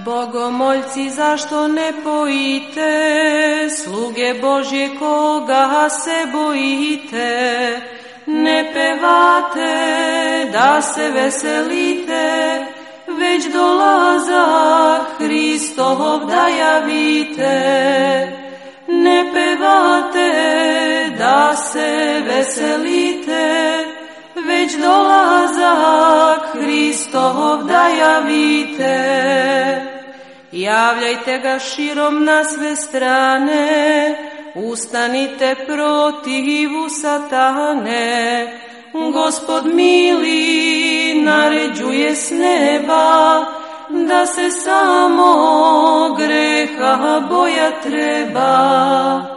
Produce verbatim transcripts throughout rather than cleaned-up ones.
Bogomoljci, zašto ne pojite, sluge Božje koga se bojite, ne pevate da se veselite, već dolazak Hristov da javite. Ne pevate da se veselite, već dolazak Hristov da javite. Javljajte ga širom na sve strane, ustanite protivu satane. Gospod mili naređuje s neba, da se samo greha boja treba.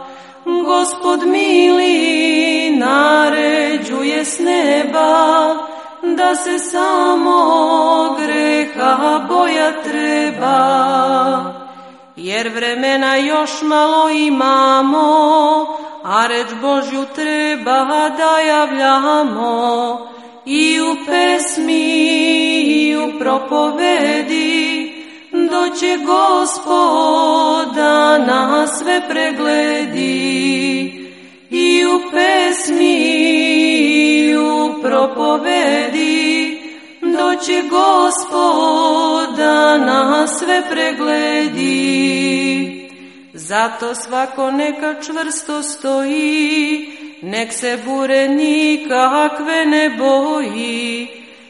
Gospod mili naređuje s neba, da se samo greha boja treba. Jer vremena još malo imamo, a reč Božju treba da javljamo, i u pesmi i u propovedi, doće Gospod da nas sve pregledi. I u pesmi i u propovedi, doće Gospod da nas sve pregledi. Zato svako neka čvrsto stoji, nek se bure nikakve ne boji.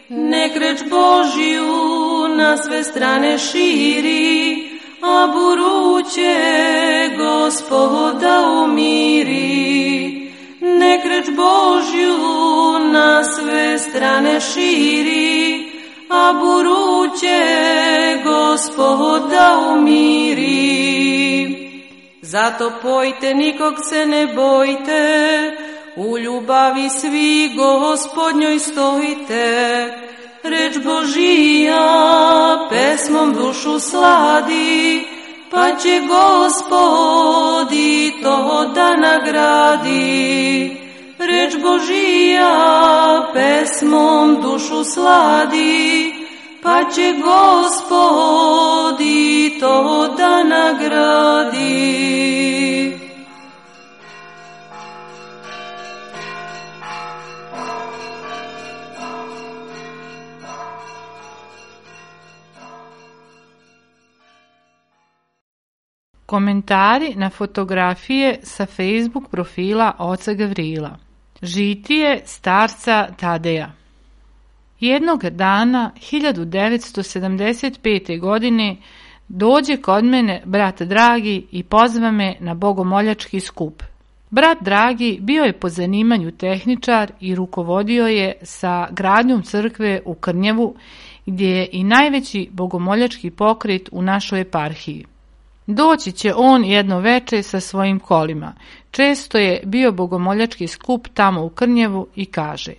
Nek reč Božju na sve strane širi, a buru će Gospoda umiri. Nek reč Božju na sve strane širi, a buru će Gospoda umiri. Zato pojte, nikog se ne bojte, u ljubavi svi Gospodnjoj stojite. Reč Božija pesmom dušu sladi, pa će Gospod i to da nagradi. Reč Božija pesmom dušu sladi, pa će Gospod i to da nagradi. Komentari na fotografije sa Facebook profila oca Gavrila. Žitije starca Tadeja. Jednog dana, hiljadu devetsto sedamdeset pete. godine, dođe kod mene brat Dragi i pozva me na bogomoljački skup. Brat Dragi bio je po zanimanju tehničar i rukovodio je sa gradnjom crkve u Krnjevu, gdje je i najveći bogomoljački pokret u našoj eparhiji. Doći će on jedno veče sa svojim kolima. Često je bio bogomoljački skup tamo u Krnjevu i kaže: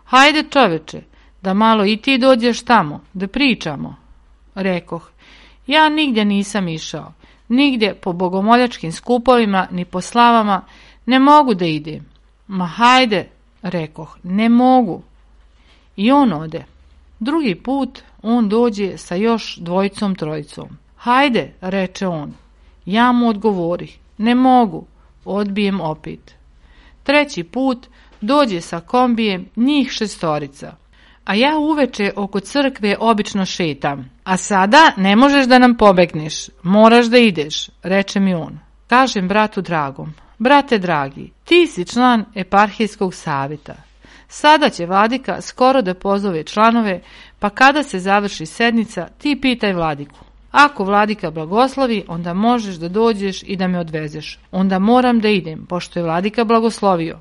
"Hajde čoveče, da malo i ti dođeš tamo, da pričamo." Rekoh: "Ja nigdje nisam išao, nigdje po bogomoljačkim skupovima ni po slavama, ne mogu da idem." "Ma hajde," rekoh, "ne mogu." I on ode. Drugi put on dođe sa još dvojicom trojicom. "Hajde," reče on. Ja mu odgovorih: "Ne mogu." Odbijem opet. Treći put dođe sa kombijem njih šestorica. A ja uveče oko crkve obično šetam. "A sada ne možeš da nam pobegneš, moraš da ideš," reče mi on. Kažem bratu Dragom: "Brate dragi, ti si član eparhijskog savjeta. Sada će vladika skoro da pozove članove, pa kada se završi sednica, ti pitaj vladiku. Ako vladika blagoslovi, onda možeš da dođeš i da me odvezeš. Onda moram da idem, pošto je vladika blagoslovio."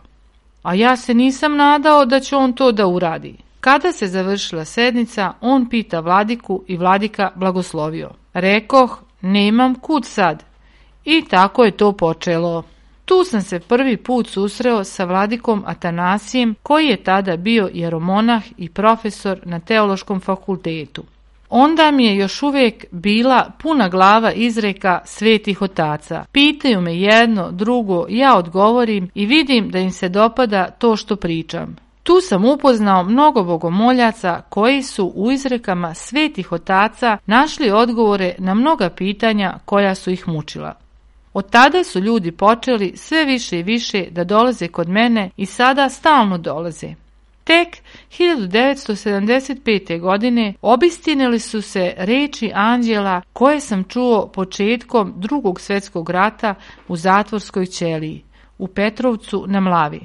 A ja se nisam nadao da će on to da uradi. Kada se završila sednica, on pita vladiku i vladika blagoslovio. Rekoh: "Nemam kud sad." I tako je to počelo. Tu sam se prvi put susreo sa vladikom Atanasijem, koji je tada bio jeromonah i profesor na teološkom fakultetu. Onda mi je još uvijek bila puna glava izreka svetih otaca. Pitaju me jedno, drugo, ja odgovorim i vidim da im se dopada to što pričam. Tu sam upoznao mnogo bogomoljaca koji su u izrekama svetih otaca našli odgovore na mnoga pitanja koja su ih mučila. Od tada su ljudi počeli sve više i više da dolaze kod mene i sada stalno dolaze. Tek hiljadu devetsto sedamdeset pete. godine obistinili su se reči anđela koje sam čuo početkom Drugog svjetskog rata u zatvorskoj ćeliji, u Petrovcu na Mlavi.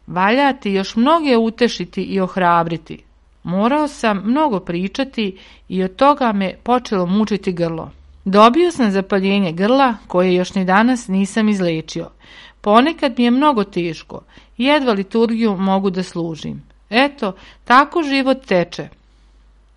Valja ti još mnoge utešiti i ohrabriti. Morao sam mnogo pričati i od toga me počelo mučiti grlo. Dobio sam zapaljenje grla koje još ni danas nisam izlečio. Ponekad mi je mnogo teško, jedva liturgiju mogu da služim. Eto, tako život teče.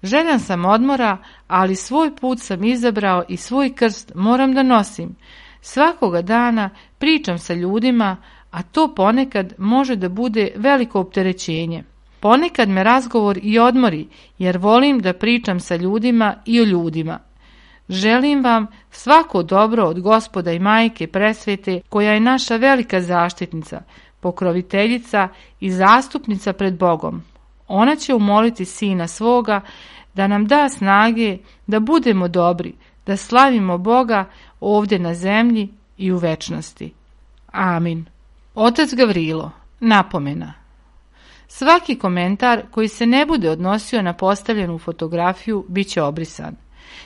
Željan sam odmora, ali svoj put sam izabrao i svoj krst moram da nosim. Svakoga dana pričam sa ljudima, a to ponekad može da bude veliko opterećenje. Ponekad me razgovor i odmori, jer volim da pričam sa ljudima i o ljudima. Želim vam svako dobro od Gospoda i Majke Presvete, koja je naša velika zaštitnica, pokroviteljica i zastupnica pred Bogom. Ona će umoliti Sina svoga da nam da snage da budemo dobri, da slavimo Boga ovdje na zemlji i u večnosti. Amin. Otac Gavrilo, napomena. Svaki komentar koji se ne bude odnosio na postavljenu fotografiju bit će obrisan.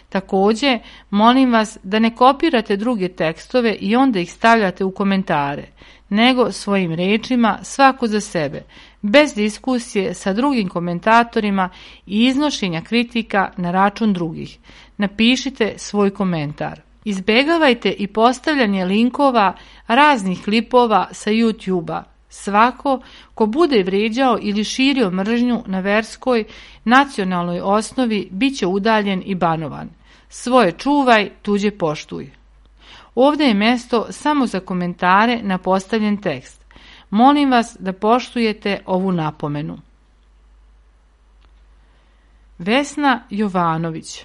Također, molim vas da ne kopirate druge tekstove i onda ih stavljate u komentare, nego svojim rečima svako za sebe, bez diskusije sa drugim komentatorima i iznošenja kritika na račun drugih. Napišite svoj komentar. Izbegavajte i postavljanje linkova raznih klipova sa YouTube-a. Svako ko bude vrijeđao ili širio mržnju na verskoj, nacionalnoj osnovi bit će udaljen i banovan. Svoje čuvaj, tuđe poštuj. Ovdje je mjesto samo za komentare na postavljen tekst. Molim vas da poštujete ovu napomenu. Vesna Jovanović.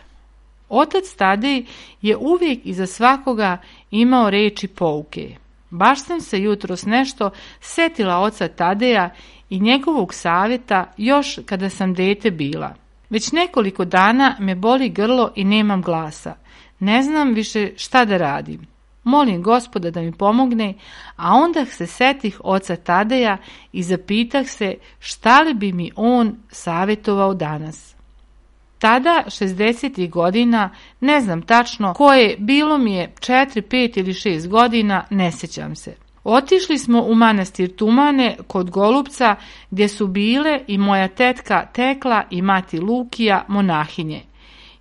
Otac Tadej je uvijek iza svakoga imao reči pouke. Baš sam se jutros nešto setila oca Tadeja i njegovog savjeta još kada sam dete bila. Već nekoliko dana me boli grlo i nemam glasa. Ne znam više šta da radim. Molim Gospoda da mi pomogne, a onda se setih oca Tadeja i zapitah se šta li bi mi on savjetovao danas. Tada, šezdesetih godina, ne znam tačno koje, bilo mi je četiri, pet ili šest godina, ne sjećam se. Otišli smo u manastir Tumane kod Golupca gdje su bile i moja tetka Tekla i mati Lukija monahinje.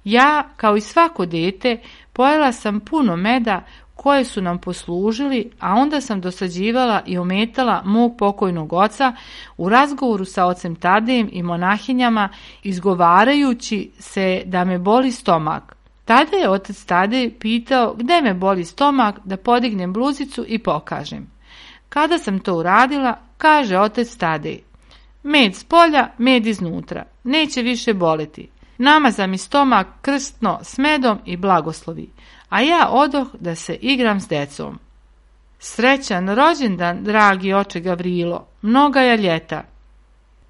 Ja, kao i svako dete, pojela sam puno meda koje su nam poslužili, a onda sam dosađivala i ometala mog pokojnog oca u razgovoru sa ocem Tadejem i monahinjama, izgovarajući se da me boli stomak. Tada je otac Tadej pitao gde me boli stomak da podignem bluzicu i pokažem. Kada sam to uradila, kaže otac Tadej: med s polja, med iznutra, neće više boleti. Namaza mi stomak krstno s medom i blagoslovi, a ja odoh da se igram s decom. Srećan rođendan, dragi oče Gavrilo, mnoga je ljeta.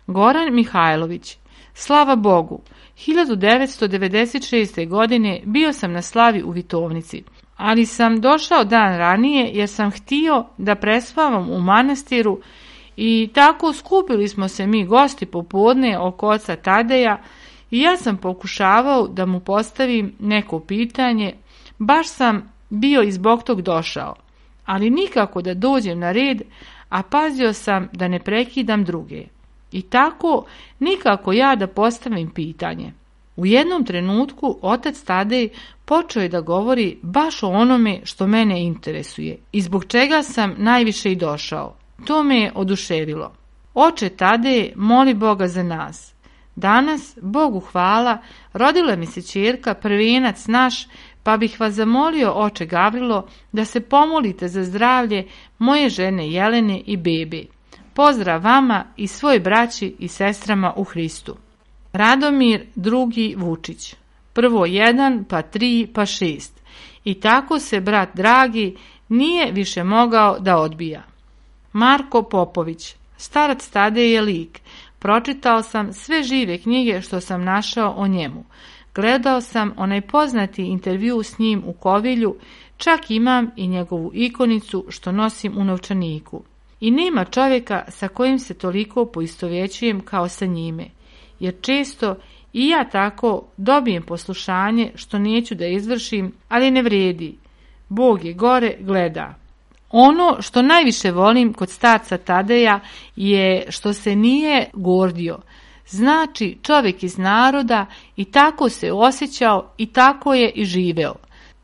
Goran Mihajlović. Slava Bogu, hiljadu devetsto devedeset šeste. godine bio sam na slavi u Vitovnici, ali sam došao dan ranije jer sam htio da prespavam u manastiru i tako skupili smo se mi gosti popodne oko oca Tadeja i ja sam pokušavao da mu postavim neko pitanje. Baš sam bio i zbog tog došao, ali nikako da dođem na red, a pazio sam da ne prekidam druge. I tako nikako ja da postavim pitanje. U jednom trenutku otac Tadej počeo je da govori baš o onome što mene interesuje i zbog čega sam najviše i došao. To me je oduševilo. Oče Tadej, moli Boga za nas. Danas, Bogu hvala, rodila mi se ćerka, prvenac naš, pa bih vas zamolio, oče Gavrilo, da se pomolite za zdravlje moje žene Jelene i bebe. Pozdrav vama i svoj braći i sestrama u Hristu. Radomir drugi Vučić. Prvo jedan, pa tri, pa šest. I tako se brat dragi nije više mogao da odbija. Marko Popović. Starac Tadej je lik. Pročitao sam sve žive knjige što sam našao o njemu. Gledao sam onaj poznati intervju s njim u Kovilju, čak imam i njegovu ikonicu što nosim u novčaniku. I nema čovjeka sa kojim se toliko poistovjećujem kao sa njime, jer često i ja tako dobijem poslušanje što neću da izvršim, ali ne vredi. Bog je gore, gleda. Ono što najviše volim kod starca Tadeja je što se nije gordio. Znači čovjek iz naroda i tako se osjećao i tako je i živeo.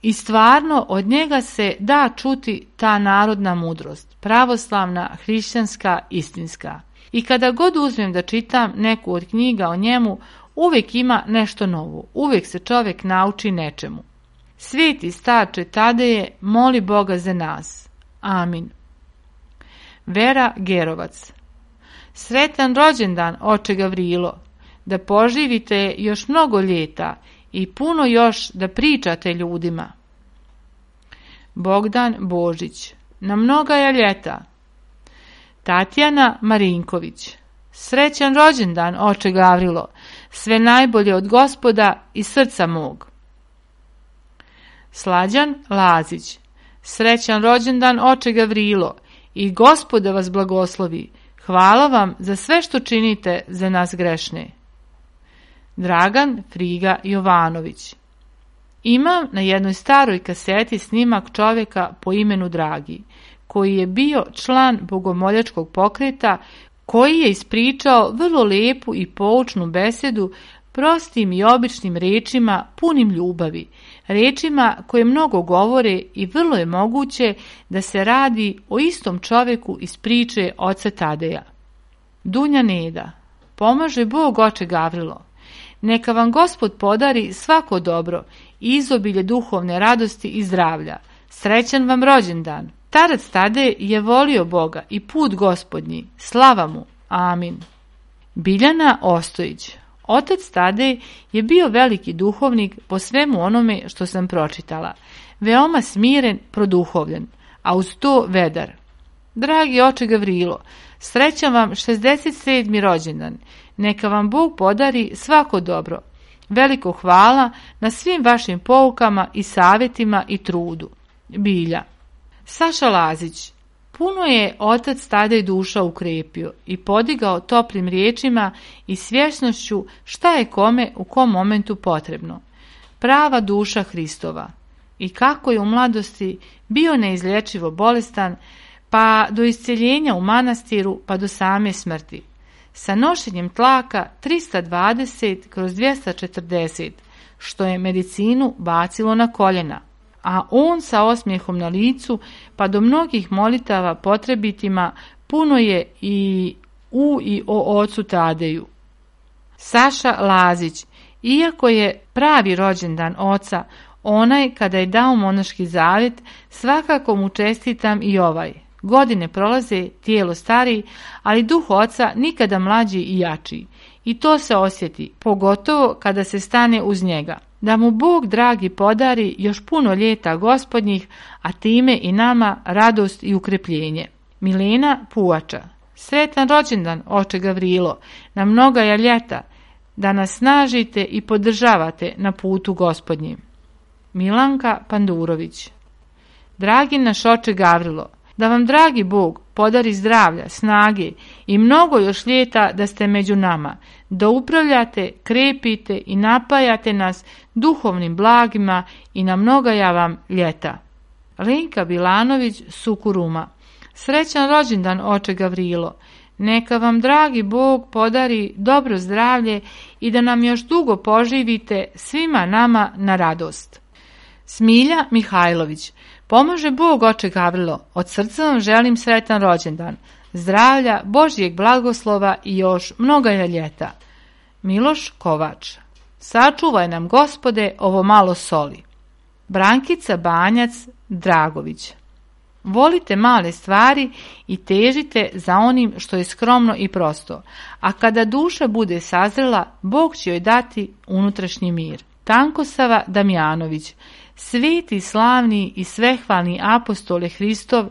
I stvarno od njega se da čuti ta narodna mudrost, pravoslavna, hrišćanska, istinska. I kada god uzmem da čitam neku od knjiga o njemu, uvijek ima nešto novo, uvijek se čovjek nauči nečemu. Sveti starče Tadeje, moli Boga za nas. Amin. Vera Gerovac. Sretan rođendan, oče Gavrilo, da poživite još mnogo ljeta i puno još da pričate ljudima. Bogdan Božić. Na mnogaja ljeta. Tatjana Marinković. Srećan rođendan, oče Gavrilo, sve najbolje od Gospoda i srca mog. Slađan Lazić. Srećan rođendan, oče Gavrilo, i Gospoda vas blagoslovi. Hvala vam za sve što činite za nas grešne. Dragan Friga Jovanović. Imam na jednoj staroj kaseti snimak čovjeka po imenu Dragi, koji je bio član bogomoljačkog pokreta, koji je ispričao vrlo lijepu i poučnu besedu prostim i običnim rečima punim ljubavi, rečima koje mnogo govore i vrlo je moguće da se radi o istom čovjeku iz priče oca Tadeja. Dunja Neda. Pomaže Bog, oče Gavrilo. Neka vam Gospod podari svako dobro i izobilje duhovne radosti i zdravlja. Srećan vam rođendan. Starac Tadej je volio Boga i put Gospodnji. Slava mu. Amin. Biljana Ostojić. Otac Tadej je bio veliki duhovnik po svemu onome što sam pročitala. Veoma smiren, produhovljen, a uz to vedar. Dragi oče Gavrilo, srećan vam šezdeset sedmi rođendan. Neka vam Bog podari svako dobro. Veliko hvala na svim vašim poukama i savjetima i trudu. Bilja. Saša Lazić. Puno je otac Tadej duša ukrepio i podigao toplim riječima i svjesnošću šta je kome u kom momentu potrebno. Prava duša Hristova. I kako je u mladosti bio neizlječivo bolestan, pa do isceljenja u manastiru, pa do same smrti. Sa nošenjem tlaka trista dvadeset kroz dvjesto četrdeset, što je medicinu bacilo na koljena, a on sa osmijehom na licu, pa do mnogih molitava potrebitima, puno je i u i o ocu Tadeju. Saša Lazić. Iako je pravi rođendan oca, onaj kada je dao monaški zavjet, svakako mu čestitam i ovaj. Godine prolaze, tijelo stari, ali duh oca nikada mlađi i jači. I to se osjeti, pogotovo kada se stane uz njega. Da mu Bog dragi podari još puno ljeta Gospodnjih, a time i nama radost i ukrepljenje. Milena Puvača. Sretan rođendan, oče Gavrilo, na mnogaja ljeta, da nas snažite i podržavate na putu Gospodnjim. Milanka Pandurović. Dragi naš oče Gavrilo, da vam dragi Bog podari zdravlja, snage i mnogo još ljeta da ste među nama, da upravljate, krepite i napajate nas duhovnim blagima i na mnogaja vam ljeta. Lenka Bilanović, Sukuruma. Srećan rođendan, oče Gavrilo. Neka vam dragi Bog podari dobro zdravlje i da nam još dugo poživite svima nama na radost. Smilja Mihajlović. Pomaže Bog, oče Gavrilo, od srca vam želim sretan rođendan, zdravlja, Božjeg blagoslova i još mnogaja ljeta. Miloš Kovač. Sačuvaj nam, Gospode, ovo malo soli. Brankica Banjac Dragović. Volite male stvari i težite za onim što je skromno i prosto, a kada duša bude sazrela, Bog će joj dati unutrašnji mir. Tankosava Damjanović. Sveti, slavni i svehvalni apostole Hristov,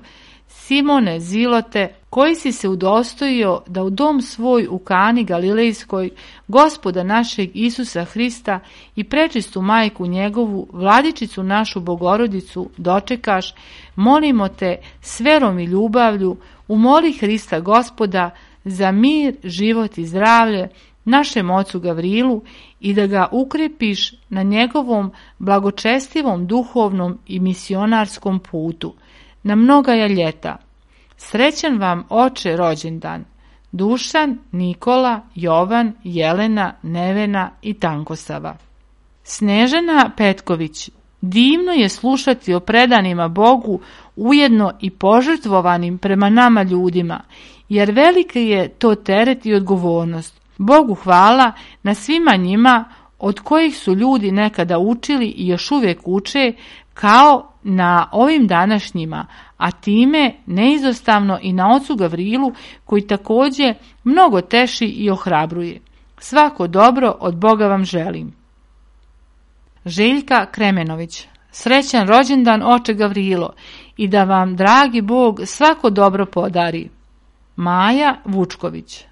Simone Zilote, koji si se udostojio da u dom svoj u Kani Galilejskoj Gospoda našeg Isusa Hrista i prečistu majku njegovu, vladičicu našu Bogorodicu, dočekaš, molimo te s verom i ljubavlju, umoli Hrista Gospoda za mir, život i zdravlje našem ocu Gavrilu i da ga ukrepiš na njegovom blagočestivom duhovnom i misionarskom putu, na mnogaja ljeta. Srećan vam oče rođendan, Dušan, Nikola, Jovan, Jelena, Nevena i Tankosava. Snežana Petković, divno je slušati o predanima Bogu, ujedno i požrtvovanim prema nama ljudima, jer veliki je to teret i odgovornost. Bogu hvala na svima njima od kojih su ljudi nekada učili i još uvijek uče, kao na ovim današnjima, a time neizostavno i na ocu Gavrilu, koji također mnogo teši i ohrabruje. Svako dobro od Boga vam želim. Željka Kremenović, srećan rođendan oče Gavrilo i da vam dragi Bog svako dobro podari. Maja Vučković,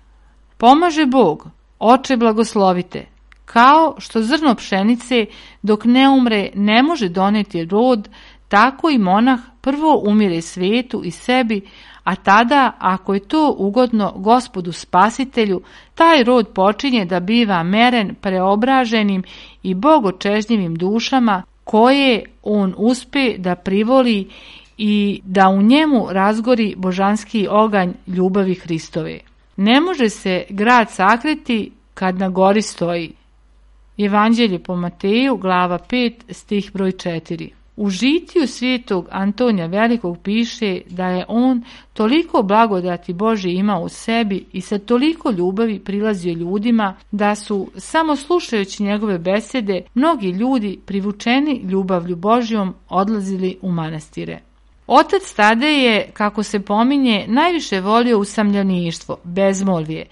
pomaže Bog, oče blagoslovite, kao što zrno pšenice dok ne umre ne može doneti rod, tako i monah prvo umire svetu i sebi, a tada, ako je to ugodno Gospodu Spasitelju, taj rod počinje da biva meren preobraženim i bogočežnjivim dušama koje on uspe da privoli i da u njemu razgori božanski oganj ljubavi Hristove. Ne može se grad sakriti kad na gori stoji. Evanđelje po Mateju, glava pet, stih broj četiri. U žitiju svetog Antonija Velikog piše da je on toliko blagodati Božje imao u sebi i sa toliko ljubavi prilazio ljudima da su, samo slušajući njegove besede, mnogi ljudi privučeni ljubavlju Božjom odlazili u manastire. Otac Tadej je, kako se pominje, najviše volio usamljeništvo, bezmolvje,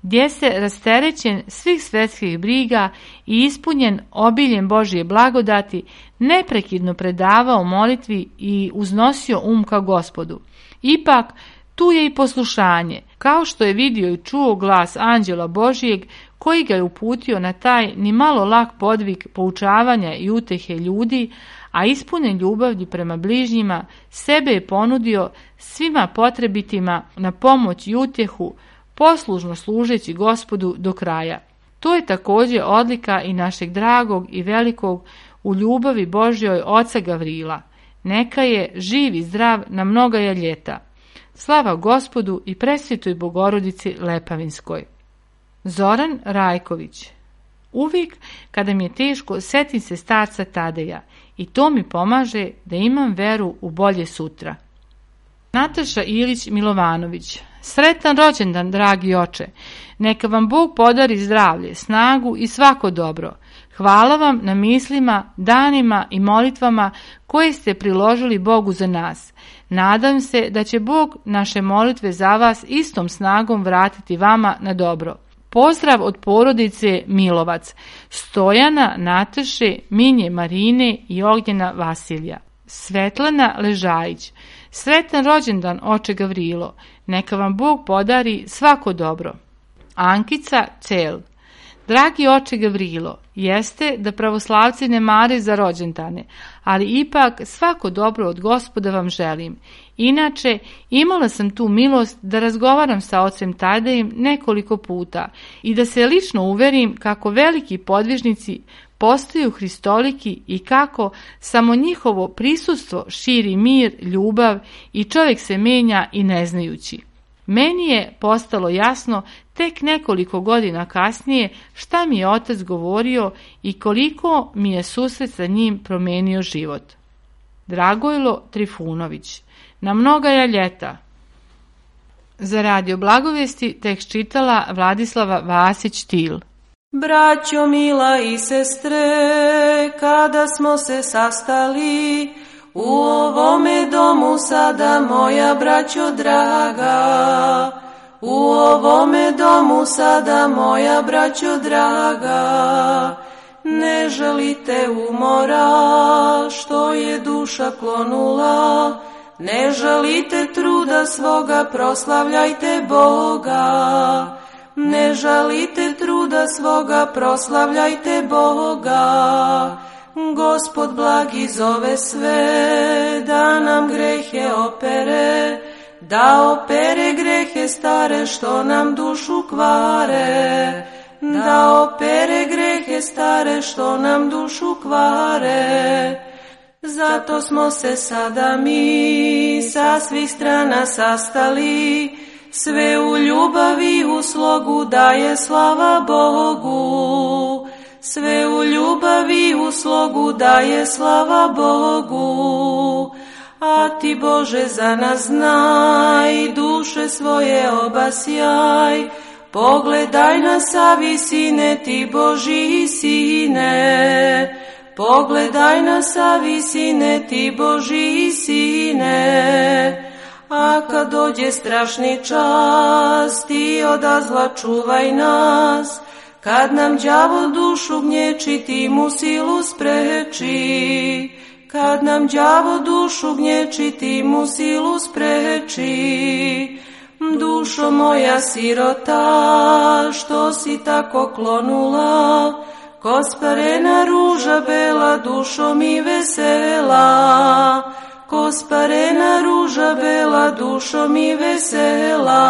gdje se rasterećen svih svetskih briga i ispunjen obiljem Božje blagodati, neprekidno predavao molitvi i uznosio um ka Gospodu. Ipak, tu je i poslušanje, kao što je vidio i čuo glas anđela Božijeg, koji ga je uputio na taj ni malo lak podvig poučavanja i utehe ljudi, a ispunjen ljubavlju prema bližnjima, sebe je ponudio svima potrebitima na pomoć i utjehu, poslužno služeći Gospodu do kraja. To je također odlika i našeg dragog i velikog u ljubavi Božjoj oca Gavrila. Neka je živ i zdrav na mnogaja ljeta. Slava Gospodu i presvetoj Bogorodici Lepavinskoj. Zoran Rajković. Uvijek kada mi je teško, setim se starca Tadeja i to mi pomaže da imam veru u bolje sutra. Nataša Ilić Milovanović. Sretan rođendan, dragi oče. Neka vam Bog podari zdravlje, snagu i svako dobro. Hvala vam na mislima, danima i molitvama koje ste priložili Bogu za nas. Nadam se da će Bog naše molitve za vas istom snagom vratiti vama na dobro. Pozdrav od porodice Milovac, Stojana, Nataše, Minje Marine i Ognjena Vasilija. Svetlana Ležajić. Sretan rođendan, oče Gavrilo. Neka vam Bog podari svako dobro. Ankica Cel. Dragi oče Gavrilo, jeste da pravoslavci ne mare za rođendane, ali ipak svako dobro od Gospoda vam želim. Inače, imala sam tu milost da razgovaram sa ocem Tadejem nekoliko puta i da se lično uverim kako veliki podvižnici postaju hristoliki i kako samo njihovo prisustvo širi mir, ljubav i čovjek se menja i ne znajući. Meni je postalo jasno tek nekoliko godina kasnije šta mi je otac govorio i koliko mi je susret sa njim promenio život. Dragojlo Trifunović. Na mnogaja ljeta. Za Radio Blagovesti tekst čitala Vladislava Vasić-Til. Braćo mila i sestre, kada smo se sastali u ovome domu sada, moja braćo draga, u ovome domu sada, moja braćo draga, ne želite umora što je duša klonula, ne žalite truda svoga, proslavljajte Boga. Ne žalite truda svoga, proslavljajte Boga. Gospod blagi zove sve, da nam grehe opere, da opere grehe stare što nam dušu kvare, da opere grehe stare što nam dušu kvare. Zato smo se sada mi sa svih strana sastali, sve u ljubavi u slogu daje slava Bogu. Sve u ljubavi u slogu daje slava Bogu. A ti Bože za nas znaj, duše svoje obasjaj, pogledaj nas, savi sine, ti Božji sine. Pogledaj nas, savi sine, ti Božji sine. A kad dođe strašni čas, ti oda zla čuvaj nas, kad nam đavo dušu gnječi, ti mu silu spreči. Kad nam đavo dušu gnječi, ti mu silu spreči. Dušo moja sirota, što si tako klonula, ko sparena ruža bela, dušo mi vesela. Ko sparena ruža bela, dušo mi vesela.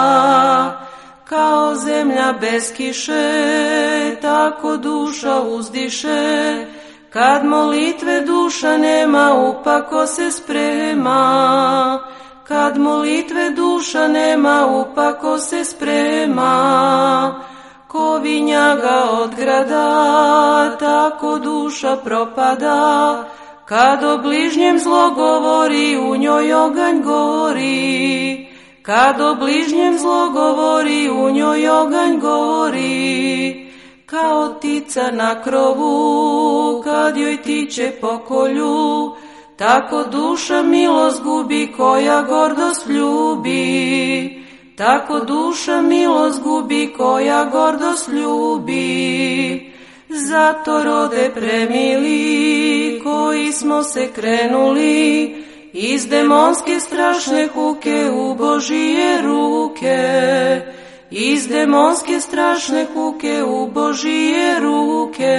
Kao zemlja bez kiše, tako duša uzdiše, kad molitve duša nema, upako se sprema. Kad molitve duša nema, upako se sprema. Ko vinjaga od grada, tako duša propada, kad o bližnjem zlo govori, u njoj oganj gori. Kad o bližnjem zlo govori, u njoj oganj gori. Kao ptica na krovu, kad joj tiče pokolju, tako duša milost gubi, koja gordost ljubi. Tako duša milost gubi, koja gordost ljubi. Zato rode premili, koji smo se krenuli iz demonske strašne huke u Božije ruke. Iz demonske strašne huke u Božije ruke.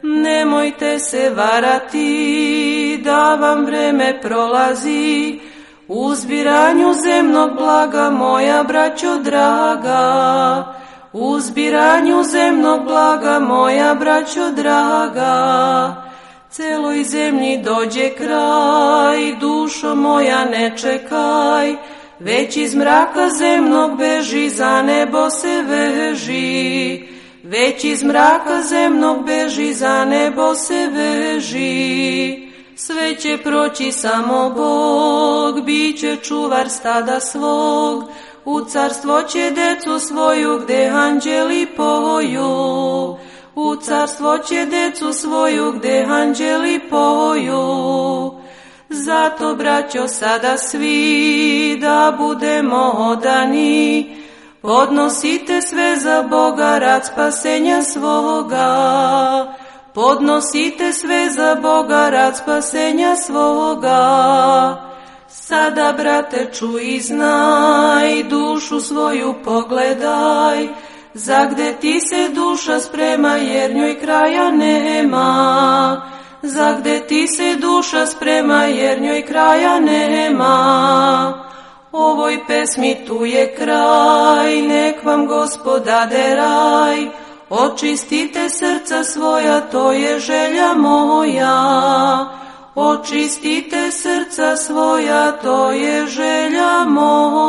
Nemojte se varati da vam vreme prolazi, u zbiranju zemnog blaga, moja braćo draga. U zbiranju zemnog blaga, moja braćo draga. Celoj zemlji dođe kraj, dušo moja ne čekaj, već iz mraka zemnog beži, za nebo se veži. Već iz mraka zemnog beži, za nebo se veži. Sve će proći, samo Bog biće čuvar stada svog, u carstvo će decu svoju, gde anđeli poju. U carstvo će decu svoju, gde anđeli poju. Zato, braćo, sada svi da budemo odani, podnosite sve za Boga, rad spasenja svoga. Podnosite sve za Boga, rad spasenja svoga. Sada, brate, čuj i znaj, dušu svoju pogledaj, za gde ti se duša sprema, jer njoj kraja nema. Za gde ti se duša sprema, jer njoj kraja nema. Ovoj pesmi tu je kraj, nek vam Gospod dade raj. Očistite srca svoja, to je želja moja. Očistite srca svoja, to je želja moja.